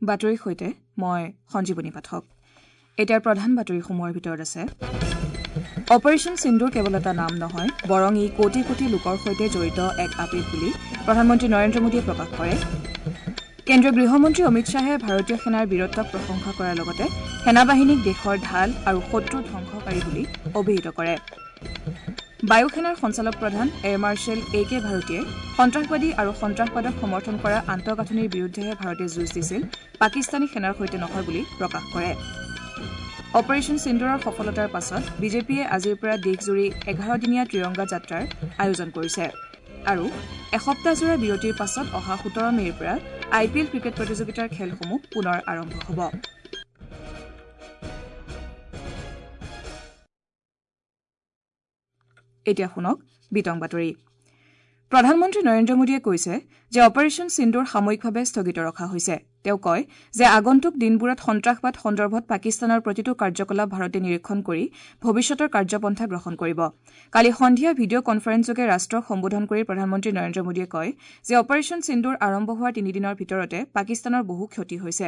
বাতৰিৰ সৈতে মই সঞ্জীৱনী পাঠক। এতিয়াৰ প্ৰধান বাতৰিসমূহৰ ভিতৰত আছে অপাৰেশ্যন সিন্দুৰ কেৱল এটা নাম নহয়, বৰং ই কোটি কোটি লোকৰ সৈতে জড়িত এক আবেগ বুলি প্ৰধানমন্ত্ৰী নৰেন্দ্ৰ মোদীয়ে প্ৰকাশ কৰে। কেন্দ্ৰীয় গৃহমন্ত্ৰী অমিত শ্বাহে ভাৰতীয় সেনাৰ বীৰত্বক প্ৰশংসা কৰাৰ লগতে সেনাবাহিনীক দেশৰ ঢাল আৰু শত্ৰু ধ্বংসকাৰী বুলি অভিহিত কৰে। বায়ুসেনাৰ সঞ্চালক প্ৰধান এয়াৰ মাৰ্শ্বেল এ কে ভাৰতীয়ে সন্ত্ৰাসবাদী আৰু সন্ত্ৰাসবাদক সমৰ্থন কৰা আন্তঃগাঁথনিৰ বিৰুদ্ধেহে ভাৰতে যুঁজ দিছিল, পাকিস্তানী সেনাৰ সৈতে নহয় বুলি প্ৰকাশ কৰে। অপাৰেশ্যন সিন্দুৰৰ সফলতাৰ পাছত বিজেপিয়ে আজিৰ পৰা দেশজুৰি ১১ দিনীয়া ত্ৰিৰংগা যাত্ৰাৰ আয়োজন কৰিছে। আৰু এসপ্তাহজোৰা বিৰতিৰ পাছত অহা ১৭ মে'ৰ পৰা আই পি এল ক্ৰিকেট প্ৰতিযোগিতাৰ খেলসমূহ পুনৰ আৰম্ভ হ'ব। এতিয়া শুনক বিতং বাতৰি। প্ৰধানমন্ত্ৰী নৰেন্দ্ৰ মোদীয়ে কৈছে যে অপাৰেশ্যন সিন্দুৰ সাময়িকভাৱে স্থগিত ৰখা হৈছে। তেওঁ কয় যে আগন্তুক দিনবোৰত সন্ত্ৰাসবাদ সন্দৰ্ভত পাকিস্তানৰ প্ৰতিটো কাৰ্যকলাপ ভাৰতে নিৰীক্ষণ কৰি ভৱিষ্যতৰ কাৰ্যপন্থা গ্ৰহণ কৰিব। কালি সন্ধিয়া ভিডিঅ' কনফাৰেন্সযোগে ৰাষ্ট্ৰক সম্বোধন কৰি প্ৰধানমন্ত্ৰী নৰেন্দ্ৰ মোদীয়ে কয় যে অপাৰেশ্যন সিন্দুৰ আৰম্ভ হোৱাৰ তিনিদিনৰ ভিতৰতে পাকিস্তানৰ বহু ক্ষতি হৈছে।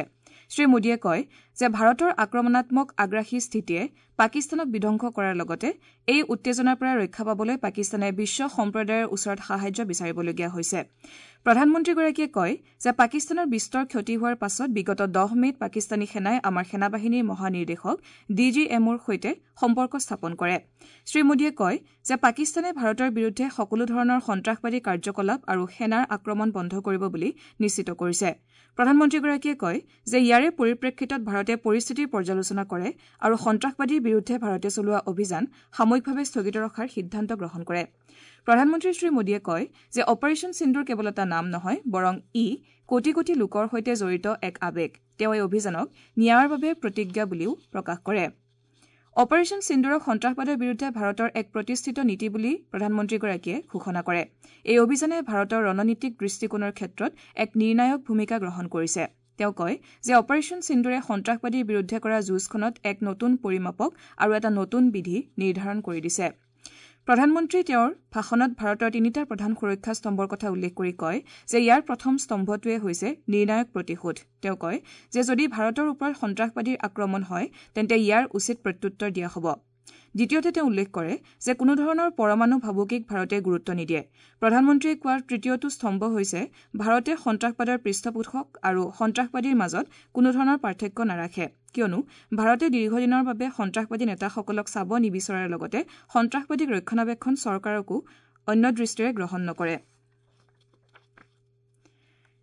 শ্ৰীমোদীয়ে কয় যে ভাৰতৰ আক্ৰমণাত্মক আগ্ৰাসী স্থিতিয়ে পাকিস্তানক বিধ্বংস কৰাৰ লগতে এই উত্তেজনাৰ পৰা ৰক্ষা পাবলৈ পাকিস্তানে বিশ্ব সম্প্ৰদায়ৰ ওচৰত সাহায্য বিচাৰিবলগীয়া হৈছে। প্ৰধানমন্ত্ৰীগৰাকীয়ে কয় যে পাকিস্তানৰ বিস্তৰ ক্ষতি হোৱাৰ পাছত বিগত ১০ মে'ত পাকিস্তানী সেনাই আমাৰ সেনাবাহিনীৰ মহানিৰ্দেশক ডি জি এম অ'ৰ সৈতে সম্পৰ্ক স্থাপন কৰে। শ্ৰীমোদীয়ে কয় যে পাকিস্তানে ভাৰতৰ বিৰুদ্ধে সকলো ধৰণৰ সন্ত্ৰাসবাদী কাৰ্যকলাপ আৰু সেনাৰ আক্ৰমণ বন্ধ কৰিব বুলি নিশ্চিত কৰিছে। প্ৰধানমন্ত্ৰীগৰাকীয়ে কয় যে ইয়াৰে পৰিপ্ৰেক্ষিতত ভাৰতে পৰিস্থিতিৰ পৰ্যালোচনা কৰে আৰু সন্ত্ৰাসবাদীৰ বিৰুদ্ধে ভাৰতে চলোৱা অভিযান সাময়িকভাৱে স্থগিত ৰখাৰ সিদ্ধান্ত গ্ৰহণ কৰে। প্ৰধানমন্ত্ৰী শ্ৰীমোদীয়ে কয় যে অপাৰেশ্যন সিন্দুৰ কেৱল এটা নাম নহয়, বৰং ই কোটি কোটি লোকৰ সৈতে জড়িত এক আবেগ। তেওঁ এই অভিযানক ন্যায়ৰ বাবে প্ৰতিজ্ঞা বুলিও প্ৰকাশ কৰে। অপাৰেশ্যন সিন্দুৰক সন্ত্ৰাসবাদৰ বিৰুদ্ধে ভাৰতৰ এক প্ৰতিষ্ঠিত নীতি বুলি প্ৰধানমন্ত্ৰীগৰাকীয়ে ঘোষণা কৰে। এই অভিযানে ভাৰতৰ ৰণনীতিক দৃষ্টিকোণৰ ক্ষেত্ৰত এক নিৰ্ণায়ক ভূমিকা গ্ৰহণ কৰিছে। তেওঁ কয় যে অপাৰেশ্যন সিন্দুৰে সন্ত্ৰাসবাদীৰ বিৰুদ্ধে কৰা যুঁজখনত এক নতুন পৰিমাপক আৰু এটা নতুন বিধি নিৰ্ধাৰণ কৰি দিছে। প্ৰধানমন্ত্ৰীয়ে তেওঁৰ ভাষণত ভাৰতৰ তিনিটা প্ৰধান সুৰক্ষা স্তম্ভৰ কথা উল্লেখ কৰি কয় যে ইয়াৰ প্ৰথম স্তম্ভটোৱে হৈছে নিৰ্ণায়ক প্ৰতিশোধ। তেওঁ কয় যে যদি ভাৰতৰ ওপৰত সন্ত্ৰাসবাদীৰ আক্ৰমণ হয়, তেন্তে ইয়াৰ উচিত প্ৰত্যুত্তৰ দিয়া হ'ব। দ্বিতীয়তে, তেওঁ উল্লেখ কৰে যে কোনোধৰণৰ পৰমাণু ভাবুকিক ভাৰতে গুৰুত্ব নিদিয়ে। প্ৰধানমন্ত্ৰীয়ে কোৱা তৃতীয়টো স্তম্ভ হৈছে ভাৰতে সন্ত্ৰাসবাদৰ পৃষ্ঠপোষক আৰু সন্ত্ৰাসবাদীৰ মাজত কোনোধৰণৰ পাৰ্থক্য নাৰাখে, কিয়নো ভাৰতে দীৰ্ঘদিনৰ বাবে সন্ত্ৰাসবাদী নেতাসকলক চাব নিবিচৰাৰ লগতে সন্ত্ৰাসবাদীক ৰক্ষণাবেক্ষণ চৰকাৰকো অন্য দৃষ্টিৰে গ্ৰহণ নকৰে।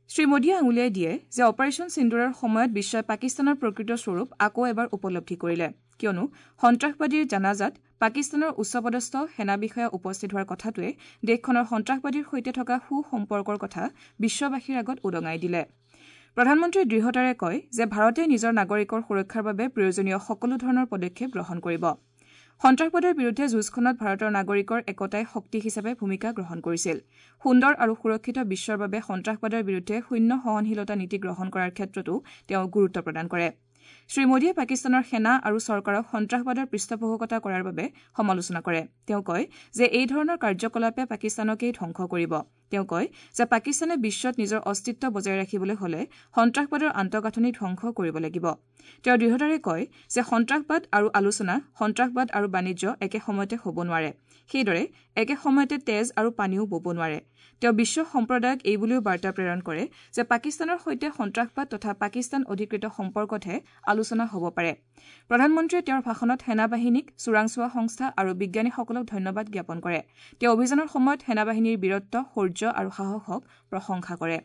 শ্ৰীমোদীয়ে আঙুলিয়াই দিয়ে যে অপাৰেশ্যন সিন্দুৰৰ সময়ত বিশ্বই পাকিস্তানৰ প্ৰকৃত স্বৰূপ আকৌ এবাৰ উপলব্ধি কৰিলে, কিয়নো সন্ত্ৰাসবাদীৰ জানাজাত পাকিস্তানৰ উচ্চপদস্থ সেনা বিষয়া উপস্থিত হোৱাৰ কথাটোৱে দেশখনৰ সন্ত্ৰাসবাদীৰ সৈতে থকা সু সম্পৰ্কৰ কথা বিশ্ববাসীৰ আগত উদঙাই দিলে। প্ৰধানমন্ত্ৰীয়ে দৃঢ়তাৰে কয় যে ভাৰতে নিজৰ নাগৰিকৰ সুৰক্ষাৰ বাবে প্ৰয়োজনীয় সকলো ধৰণৰ পদক্ষেপ গ্ৰহণ কৰিব। সন্ত্ৰাসবাদৰ বিৰুদ্ধে যুঁজখনত ভাৰতৰ নাগৰিকৰ একতাই শক্তি হিচাপে ভূমিকা গ্ৰহণ কৰিছিল। সুন্দৰ আৰু সুৰক্ষিত বিশ্বৰ বাবে সন্ত্ৰাসবাদৰ বিৰুদ্ধে শূন্য সহনশীলতা নীতি গ্ৰহণ কৰাৰ ক্ষেত্ৰতো তেওঁ গুৰুত্ব প্ৰদান কৰে। শ্ৰীমোদীয়ে পাকিস্তানৰ সেনা আৰু চৰকাৰক সন্ত্ৰাসবাদৰ পৃষ্ঠপোষকতা কৰাৰ বাবে সমালোচনা কৰে। তেওঁ কয় যে এই ধৰণৰ কাৰ্যকলাপে পাকিস্তানকেই ধ্বংস কৰিব। তেওঁ কয় যে পাকিস্তানে বিশ্বত নিজৰ অস্তিত্ব বজাই ৰাখিবলৈ হলে সন্ত্ৰাসবাদৰ আন্তঃগাঁথনি ধ্বংস কৰিব লাগিব। তেওঁ দৃঢ়তাৰে কয় যে সন্ত্ৰাসবাদ আৰু আলোচনা, সন্ত্ৰাসবাদ আৰু বাণিজ্য একে সময়তে হ'ব নোৱাৰে। সেইদৰে একে সময়তে তেজ আৰু পানীও বব নোৱাৰে। তেওঁ বিশ্ব সম্প্ৰদায়ক এই বুলিও বাৰ্তা প্ৰেৰণ কৰে যে পাকিস্তানৰ সৈতে সন্ত্ৰাসবাদ তথা পাকিস্তান অধিকৃত সম্পৰ্কতহে আলোচনা হ'ব পাৰে। প্ৰধানমন্ত্ৰীয়ে তেওঁৰ ভাষণত সেনাবাহিনীক, চোৰাংচোৱা সংস্থা আৰু বিজ্ঞানীসকলক ধন্যবাদ জ্ঞাপন কৰে। তেওঁ অভিযানৰ সময়ত সেনাবাহিনীৰ বীৰত্ব, শৌৰ্য আৰু সাহসক প্ৰশংসা কৰে।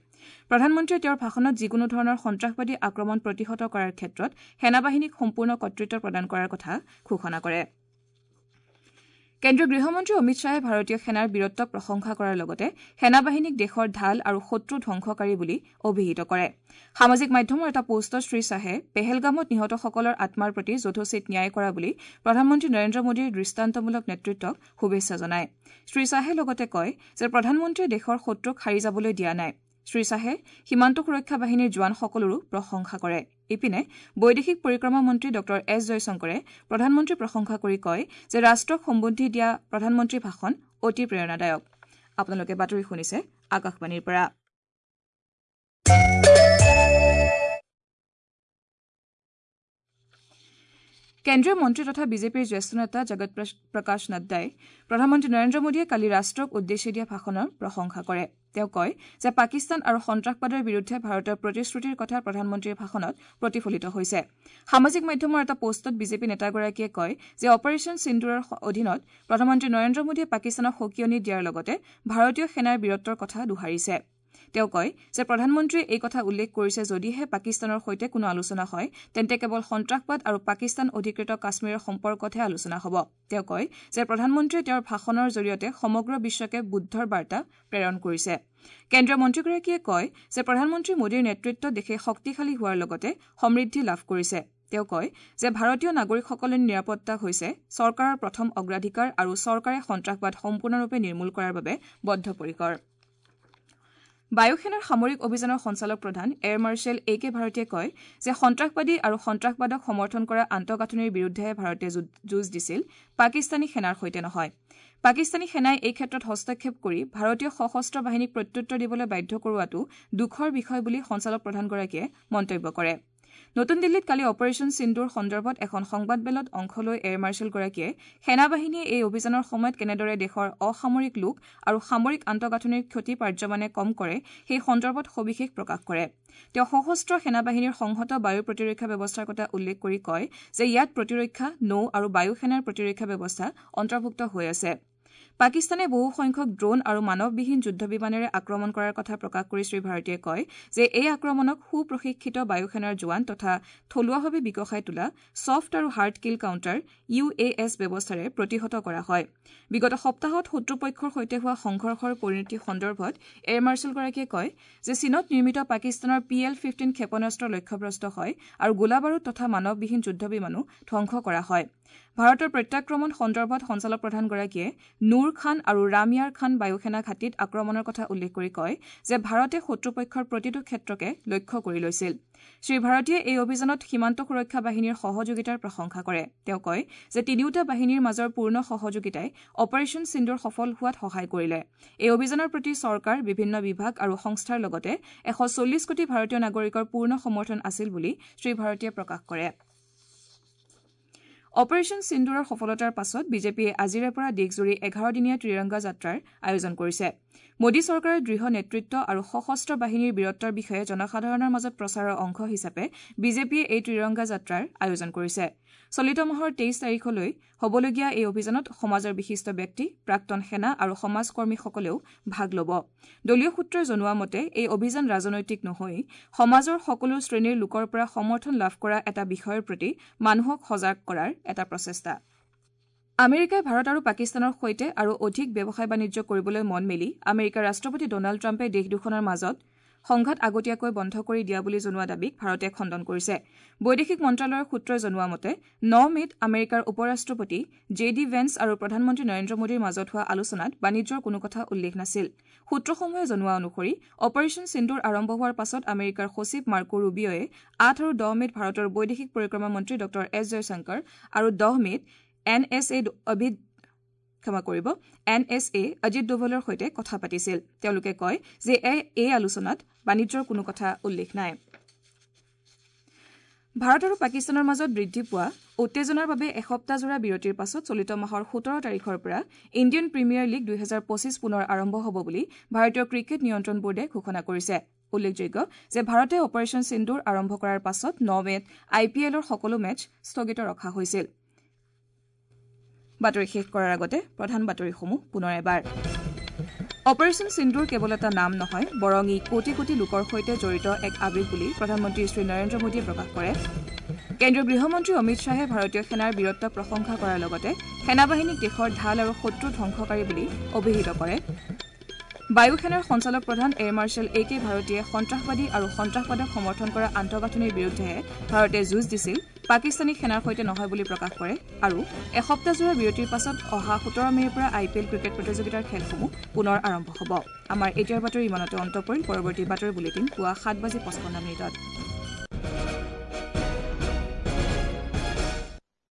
প্ৰধানমন্ত্ৰীয়ে তেওঁৰ ভাষণত যিকোনো ধৰণৰ সন্ত্ৰাসবাদী আক্ৰমণ প্ৰতিহত কৰাৰ ক্ষেত্ৰত সেনাবাহিনীক সম্পূৰ্ণ কৰ্তৃত্ব প্ৰদান কৰাৰ কথা ঘোষণা কৰে। কেন্দ্ৰীয় গৃহমন্ত্ৰী অমিত শ্বাহে ভাৰতীয় সেনাৰ বীৰত্বক প্ৰশংসা কৰাৰ লগতে সেনাবাহিনীক দেশৰ ঢাল আৰু শত্ৰু ধ্বংসকাৰী বুলি অভিহিত কৰে। সামাজিক মাধ্যমৰ এটা পোষ্টত শ্ৰীশ্বাহে পেহেলগামত নিহতসকলৰ আত্মাৰ প্ৰতি যথোচিত ন্যায় কৰা বুলি প্ৰধানমন্ত্ৰী নৰেন্দ্ৰ মোদীৰ দৃষ্টান্তমূলক নেতৃত্বক শুভেচ্ছা জনায়। শ্ৰীশ্বাহে লগতে কয় যে প্ৰধানমন্ত্ৰীয়ে দেশৰ শত্ৰুক সাৰি যাবলৈ দিয়া নাই। শ্ৰীশ্বাহে সীমান্ত সুৰক্ষা বাহিনীৰ জোৱানসকলৰো প্ৰশংসা কৰে। ইপিনে, বৈদেশিক পৰিক্ৰমা মন্ত্ৰী ডঃ এছ জয়শংকৰে প্ৰধানমন্ত্ৰীৰ প্ৰশংসা কৰি কয় যে ৰাষ্ট্ৰক সম্বোধি দিয়া প্ৰধানমন্ত্ৰীৰ ভাষণ অতি প্ৰেৰণাদায়ক। আপোনালোকে বাতৰি শুনিছে আকাশবাণীৰ পৰা। কেন্দ্ৰীয় মন্ত্ৰী তথা বিজেপিৰ জ্যেষ্ঠ নেতা জগত প্ৰকাশ নাড্ডাই প্ৰধানমন্ত্ৰী নৰেন্দ্ৰ মোদীয়ে কালি ৰাষ্ট্ৰক উদ্দেশ্যি দিয়া ভাষণৰ প্ৰশংসা কৰে। তেওঁ কয় যে পাকিস্তান আৰু সন্ত্ৰাসবাদৰ বিৰুদ্ধে ভাৰতৰ প্ৰতিশ্ৰুতিৰ কথা প্ৰধানমন্ত্ৰীৰ ভাষণত প্ৰতিফলিত হৈছে। সামাজিক মাধ্যমৰ এটা পোষ্টত বিজেপি নেতাগৰাকীয়ে কয় যে অপাৰেচন সিন্দুৰৰ অধীনত প্ৰধানমন্ত্ৰী নৰেন্দ্ৰ মোদীয়ে পাকিস্তানক সকীয়নি দিয়াৰ লগতে ভাৰতীয় সেনাৰ বীৰত্বৰ কথা দোহাৰিছে। তেওঁ কয় যে প্ৰধানমন্ত্ৰীয়ে এই কথা উল্লেখ কৰিছে যদিহে পাকিস্তানৰ সৈতে কোনো আলোচনা হয় তেন্তে কেৱল সন্ত্ৰাসবাদ আৰু পাকিস্তান অধিকৃত কাশ্মীৰৰ সম্পৰ্কতহে আলোচনা হ'ব। তেওঁ কয় যে প্ৰধানমন্ত্ৰীয়ে তেওঁৰ ভাষণৰ জৰিয়তে সমগ্ৰ বিশ্বকে বুদ্ধৰ বাৰ্তা প্ৰেৰণ কৰিছে। কেন্দ্ৰীয় মন্ত্ৰীগৰাকীয়ে কয় যে প্ৰধানমন্ত্ৰী মোদীৰ নেতৃত্বত দেশে শক্তিশালী হোৱাৰ লগতে সমৃদ্ধি লাভ কৰিছে। তেওঁ কয় যে ভাৰতীয় নাগৰিকসকলৰ নিৰাপত্তা হৈছে চৰকাৰৰ প্ৰথম অগ্ৰাধিকাৰ আৰু চৰকাৰে সন্ত্ৰাসবাদ সম্পূৰ্ণৰূপে নিৰ্মূল কৰাৰ বাবে বদ্ধপৰিকৰ। বায়ুসেনাৰ সামৰিক অভিযানৰ সঞ্চালক প্ৰধান এয়াৰ মাৰ্শ্বেল এ কে ভাৰতীয়ে কয় যে সন্ত্ৰাসবাদী আৰু সন্ত্ৰাসবাদক সমৰ্থন কৰা আন্তঃগাঁথনিৰ বিৰুদ্ধেহে ভাৰতে যুঁজ দিছিল, পাকিস্তানী সেনাৰ সৈতে নহয়। পাকিস্তানী সেনাই এই ক্ষেত্ৰত হস্তক্ষেপ কৰি ভাৰতীয় সশস্ত্ৰ বাহিনীক প্ৰত্যুত্তৰ দিবলৈ বাধ্য কৰোৱাটো দুখৰ বিষয় বুলি সঞ্চালক প্ৰধানগৰাকীয়ে মন্তব্য কৰে। নতুন দিল্লীত কালি অপাৰেচন সিন্দুৰ সন্দৰ্ভত এখন সংবাদমেলত অংশ লৈ এয়াৰ মাৰ্শ্বেলগৰাকীয়ে সেনাবাহিনীয়ে এই অভিযানৰ সময়ত কেনেদৰে দেশৰ অসামৰিক লোক আৰু সামৰিক আন্তঃগাঁথনিৰ ক্ষতি পাৰ্যমানে কম কৰে সেই সন্দৰ্ভত সবিশেষ প্ৰকাশ কৰে। তেওঁ সশস্ত্ৰ সেনাবাহিনীৰ সংহত বায়ু প্ৰতিৰক্ষা ব্যৱস্থাৰ কথা উল্লেখ কৰি কয় যে ইয়াত প্ৰতিৰক্ষা, নৌ আৰু বায়ু সেনাৰ প্ৰতিৰক্ষা ব্যৱস্থা অন্তৰ্ভুক্ত হৈ আছে। পাকিস্তানে বহুসংখ্যক ড্ৰোন আৰু মানৱবিহীন যুদ্ধ বিমানেৰে আক্ৰমণ কৰাৰ কথা প্ৰকাশ কৰি শ্ৰী ভাৰতীয়ে কয় যে এই আক্ৰমণক সুপ্ৰশিক্ষিত বায়ুসেনাৰ জোৱান তথা থলুৱাভাৱে বিকশাই তোলা ছফ্ট আৰু hard kill counter UAS ব্যৱস্থাৰে প্ৰতিহত কৰা হয়। বিগত সপ্তাহত শত্ৰুপক্ষৰ সৈতে হোৱা সংঘৰ্ষৰ পৰিণতি সন্দৰ্ভত এয়াৰ মাৰ্শ্বেলগৰাকীয়ে কয় যে চীনত নিৰ্মিত পাকিস্তানৰ PL-15 ক্ষেপণাস্ত্ৰ লক্ষ্যভ্ৰষ্ট হয় আৰু গোলাবাৰুদ তথা মানৱবিহীন যুদ্ধ বিমানো ধ্বংস কৰা হয়। ভাৰতৰ প্ৰত্যাক্ৰমণ সন্দৰ্ভত সঞ্চালক প্ৰধানগৰাকীয়ে নুৰ খান আৰু ৰাময়াৰ খান বায়ুসেনা ঘাটিত আক্ৰমণৰ কথা উল্লেখ কৰি কয় যে ভাৰতে শত্ৰুপক্ষৰ প্ৰতিটো ক্ষেত্ৰকে লক্ষ্য কৰি লৈছিল। শ্ৰী ভাৰতীয়ে এই অভিযানত সীমান্ত সুৰক্ষা বাহিনীৰ সহযোগিতাৰ প্ৰশংসা কৰে। তেওঁ কয় যে তিনিওটা বাহিনীৰ মাজৰ পূৰ্ণ সহযোগিতাই অপাৰেচন সিন্দুৰ সফল হোৱাত সহায় কৰিলে। এই অভিযানৰ প্ৰতি চৰকাৰ, বিভিন্ন বিভাগ আৰু সংস্থাৰ লগতে 140 কোটি ভাৰতীয় নাগৰিকৰ পূৰ্ণ সমৰ্থন আছিল বুলি শ্ৰী ভাৰতীয়ে প্ৰকাশ কৰে। অপাৰেচন সিন্দুৰৰ সফলতাৰ পাছত বিজেপিয়ে আজিৰে পৰা দেশজুৰি 11 দিনীয়া ত্ৰিৰংগা যাত্ৰাৰ আয়োজন কৰিছে। মোদী চৰকাৰৰ দৃঢ় নেতৃত্ব আৰু সশস্ত্ৰ বাহিনীৰ বীৰত্বৰ বিষয়ে জনসাধাৰণৰ মাজত প্ৰচাৰৰ অংশ হিচাপে বিজেপিয়ে এই ত্ৰিৰংগা যাত্ৰাৰ আয়োজন কৰিছে। চলিত মাহৰ 23 তাৰিখলৈ হ'বলগীয়া এই অভিযানত সমাজৰ বিশিষ্ট ব্যক্তি, প্ৰাক্তন সেনা আৰু সমাজকৰ্মীসকলেও ভাগ ল'ব। দলীয় সূত্ৰই জনোৱা মতে এই অভিযান ৰাজনৈতিক নহৈ সমাজৰ সকলো শ্ৰেণীৰ লোকৰ পৰা সমৰ্থন লাভ কৰা এটা বিষয়ৰ প্ৰতি মানুহক সজাগ কৰাৰ এটা প্ৰচেষ্টা। আমেৰিকাই ভাৰত আৰু পাকিস্তানৰ সৈতে আৰু অধিক ব্যৱসায় বাণিজ্য কৰিবলৈ মন মেলি আমেৰিকাৰ ৰাষ্ট্ৰপতি ডনাল্ড ট্ৰাম্পে দেশ দুখনৰ মাজত সংঘাত আগতীয়াকৈ বন্ধ কৰি দিয়া বুলি জনোৱা দাবীক ভাৰতে খণ্ডন কৰিছে। বৈদেশিক মন্ত্ৰালয়ৰ সূত্ৰই জনোৱা মতে 9 মে'ত আমেৰিকাৰ উপ-ৰাষ্ট্ৰপতি জে ডি ভেন্স আৰু প্ৰধানমন্ত্ৰী নৰেন্দ্ৰ মোদীৰ মাজত হোৱা আলোচনাত বাণিজ্যৰ কোনো কথা উল্লেখ নাছিল। সূত্ৰসমূহে জনোৱা অনুসৰি অপাৰেচন সিন্দুৰ আৰম্ভ হোৱাৰ পাছত আমেৰিকাৰ সচিব মাৰ্কো ৰুবিঅ'য়ে 8 আৰু 10 মে'ত ভাৰতৰ বৈদেশিক পৰিক্ৰমা মন্ত্ৰী ডঃ এছ জয়শংকৰ আৰু 10 মে'ত এন এছ এ অজিত ডোভালৰ সৈতে কথা পাতিছিল। তেওঁলোকে কয় যে এই আলোচনাত বাণিজ্যৰ কোনো কথা উল্লেখ নাই। ভাৰত আৰু পাকিস্তানৰ মাজত বৃদ্ধি পোৱা উত্তেজনাৰ বাবে এসপ্তাহজোৰা বিৰতিৰ পাছত চলিত মাহৰ 17 তাৰিখৰ পৰা ইণ্ডিয়ান প্ৰিমিয়াৰ লীগ 2025 পুনৰ আৰম্ভ হ'ব বুলি ভাৰতীয় ক্ৰিকেট নিয়ন্ত্ৰণ বোৰ্ডে ঘোষণা কৰিছে। উল্লেখযোগ্য যে ভাৰতে অপাৰেচন সিন্দুৰ আৰম্ভ কৰাৰ পাছত 9 মে'ত আই পি এলৰ সকলো মেচ স্থগিত ৰখা হৈছিল। বাতৰি শেষ কৰাৰ আগতে প্ৰধান বাতৰিসমূহ পুনৰ এবাৰ। অপাৰেচন সিন্দুৰ কেৱল এটা নাম নহয়, বৰং ই কোটি কোটি লোকৰ সৈতে জড়িত এক আৱেগ বুলি প্ৰধানমন্ত্ৰী শ্ৰী নৰেন্দ্ৰ মোদীয়ে প্ৰকাশ কৰে। কেন্দ্ৰীয় গৃহমন্ত্ৰী অমিত শ্বাহে ভাৰতীয় সেনাৰ বীৰত্বক প্ৰশংসা কৰাৰ লগতে সেনাবাহিনীক দেশৰ ঢাল আৰু শত্ৰু ধ্বংসকাৰী বুলি অভিহিত কৰে। বায়ুসেনাৰ সঞ্চালক প্ৰধান এয়াৰ মাৰ্শ্বেল এ কে ভাৰতীয়ে সন্ত্ৰাসবাদী আৰু সন্ত্ৰাসবাদক সমৰ্থন কৰা আন্তঃগাঁথনিৰ বিৰুদ্ধেহে ভাৰতে যুঁজ দিছিল, পাকিস্তানী সেনাৰ সৈতে নহয় বুলি প্ৰকাশ কৰে। আৰু এসপ্তাহজোৰা বিৰতিৰ পাছত অহা 17 মে'ৰ পৰা আই পি এল ক্ৰিকেট প্ৰতিযোগিতাৰ খেলসমূহ পুনৰ আৰম্ভ হ'ব। আমাৰ এতিয়াৰ বাতৰি ইমানতে অন্ত পৰিল। পৰৱৰ্তী বাতৰি বুলেটিন পুৱা 7:55।